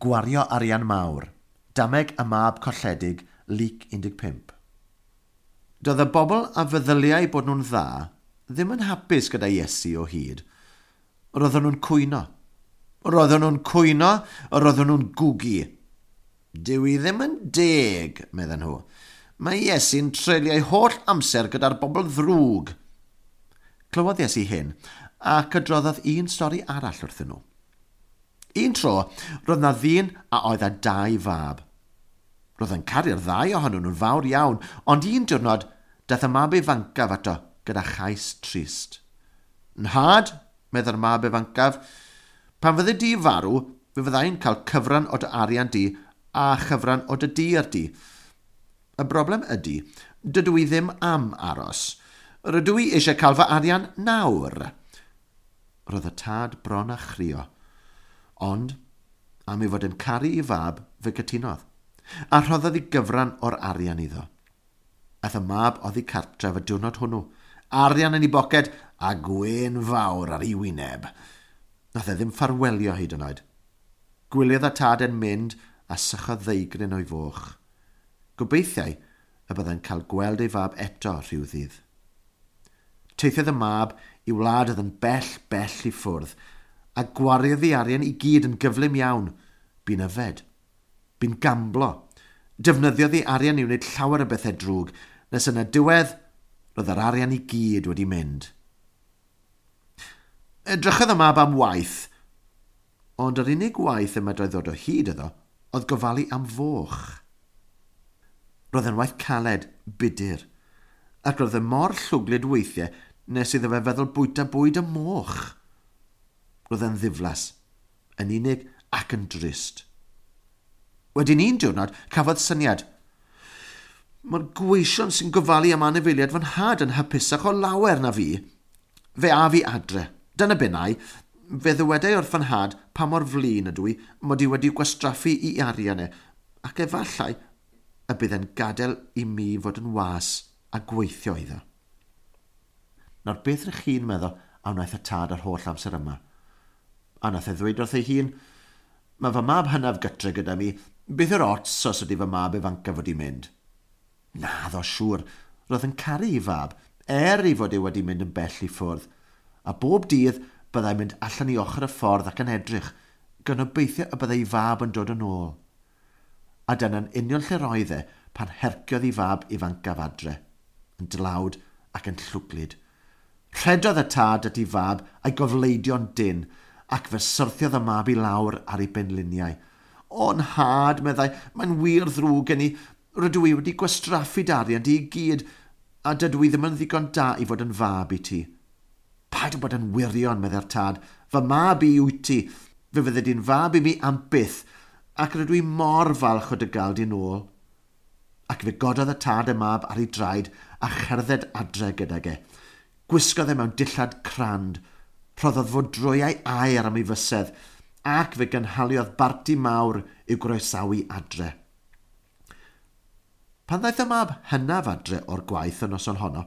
Gwario arian mawr. Dameg y mab colledig, Luc 15. Doedd y bobl a feddyliai bod nhw'n dda ddim yn hapus gyda Iesu o hyd. Roedden nhw'n cwyno. Roedden nhw'n cwyno, roedden nhw'n gwgu. Dyw i ddim yn deg, medden nhw. Mae Iesu'n treulio'i holl amser gyda'r bobl ddrwg. Clywodd Iesu hyn, ac adroddodd un stori arall wrthyn nhw. Un tro, roedd na ddyn a oedd â dau fab. Roedd yn caru'r ddau ohonyn nhw'n fawr iawn, ond un diwrnod, daeth y mab ifancaf ato gyda chais trist. Nhad, meddai'r mab ifancaf, pan fyddi di farw, fe fyddai'n cael cyfran o dy arian di a chyfran o dy dir di. Y broblem ydy, dydw i ddim am aros. Rydw i eisiau cael fy arian nawr. Roedd y tad bron a chrio. Ond, am ei fod yn caru ei fab, fe gytunodd, a rhoddodd ei gyfran o'r arian iddo. Aeth y mab oddi cartref y diwrnod hwnnw, arian yn ei boced a gwên fawr ar ei wyneb. Nath e ddim ffarwelio hyd yn oed. Gwyliodd y tad yn mynd a sychodd ddeigryn o'i foch. Gobeithiai y byddai'n cael gweld ei fab eto rhyw ddydd. Teithiodd y mab i wlad oedd yn bell, bell i ffwrdd, a gwariodd ei arian i gyd yn gyflym iawn. Bu'n yfed. Bu'n gamblo. Defnyddiodd ei arian i wneud llawer o bethau drwg, nes yn y diwedd, roedd yr arian i gyd wedi mynd. Edrychodd y mab am waith, ond yr unig waith y medrai ddod o hyd iddo oedd gofalu am foch. Roedd yn waith caled, budur, ac roedd e mor llwglyd weithiau nes iddo fe feddwl bwyta bwyd y moch. Roedd e'n ddiflas, yn unig ac yn drist. Wedyn un diwrnod, cafodd syniad. Mae'r gweision sy'n gofalu am anifeiliaid fy nhad yn hapusach o lawer na fi. Fe a fi adre. Dyna bennau. Fe ddywedai wrth fy nhad pa mor flin ydw i mod i wedi gwastraffu i arian e, ac efallai y bydd e'n gadael i mi fod yn was a gweithio iddo. Nawr beth rych chi'n meddwl a wnaeth y tad yr holl amser yma? A nath e ddweud wrth ei hun, mae fy mab hynaf gytre gyda mi, beth yw'r ots os ydy fy mab ifancaf wedi mynd? Naddo siŵr, roedd yn caru ei fab, er ei fod e wedi mynd yn bell i ffwrdd. A bob dydd byddai'n mynd allan i ochr y ffordd ac yn edrych, gan obeithio y byddai ei fab yn dod yn ôl. A dyna'n union lle roedd e pan herciodd ei fab ifancaf adre, yn dlawd ac yn llwglyd. Rhedodd y tad at ei fab a'i gofleidio'n dynn, ac fe syrthiodd y mab i lawr ar ei benliniau. O, nhad, meddai, mae'n wir ddrwg gen i. Rydw i wedi gwastraffu dy arian di i gyd, a dydw i ddim yn ddigon da i fod yn fab i ti. Paid â bod yn wirion, meddai'r tad, fy mab i wyt ti. Fe fyddi di'n fab i mi am byth, ac rydw i mor falch o dy gael di'n ôl. Ac fe gododd y tad y mab ar ei draed a cherdded adre gydag e. Gwisgodd e mewn dillad crand, rhoddodd fodrwyau aer am ei fysedd, ac fe gynhaliodd barti mawr i'w groesawu adre. Pan ddaeth y mab hynaf adre o'r gwaith y noson honno,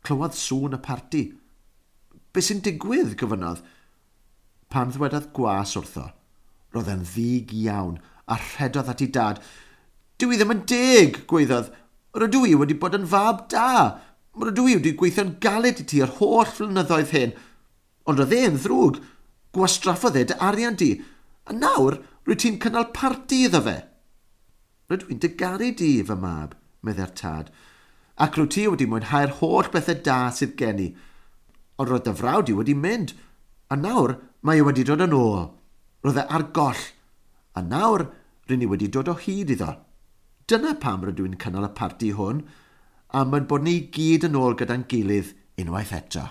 clywodd sŵn y parti. Be sy'n digwydd, gofynnodd. Pan ddwedodd gwas wrtho, roedd e'n ddig iawn a rhedodd at ei dad. Dyw i ddim yn deg, gweiddodd. Rydw i wedi bod yn fab da. Rydw i wedi gweithio'n galed i ti yr holl flynyddoedd hyn. Ond roedd e'n ddrwg. Gwastraffodd e dy arian di. A nawr, rwyt ti'n cynnal parti iddo fe. Rydw i'n dy garu di, fy mab, meddai'r tad. Ac rwyt ti wedi mwynhau'r holl bethau da sydd gen i. Ond roedd dy frawd i wedi mynd. A nawr, mae e wedi dod yn ôl. Roedd e ar goll. A nawr, rydyn ni wedi dod o hyd iddo. Dyna pam rydw i'n cynnal y parti hwn, am ein bod ni gyd yn ôl gyda'n gilydd unwaith eto.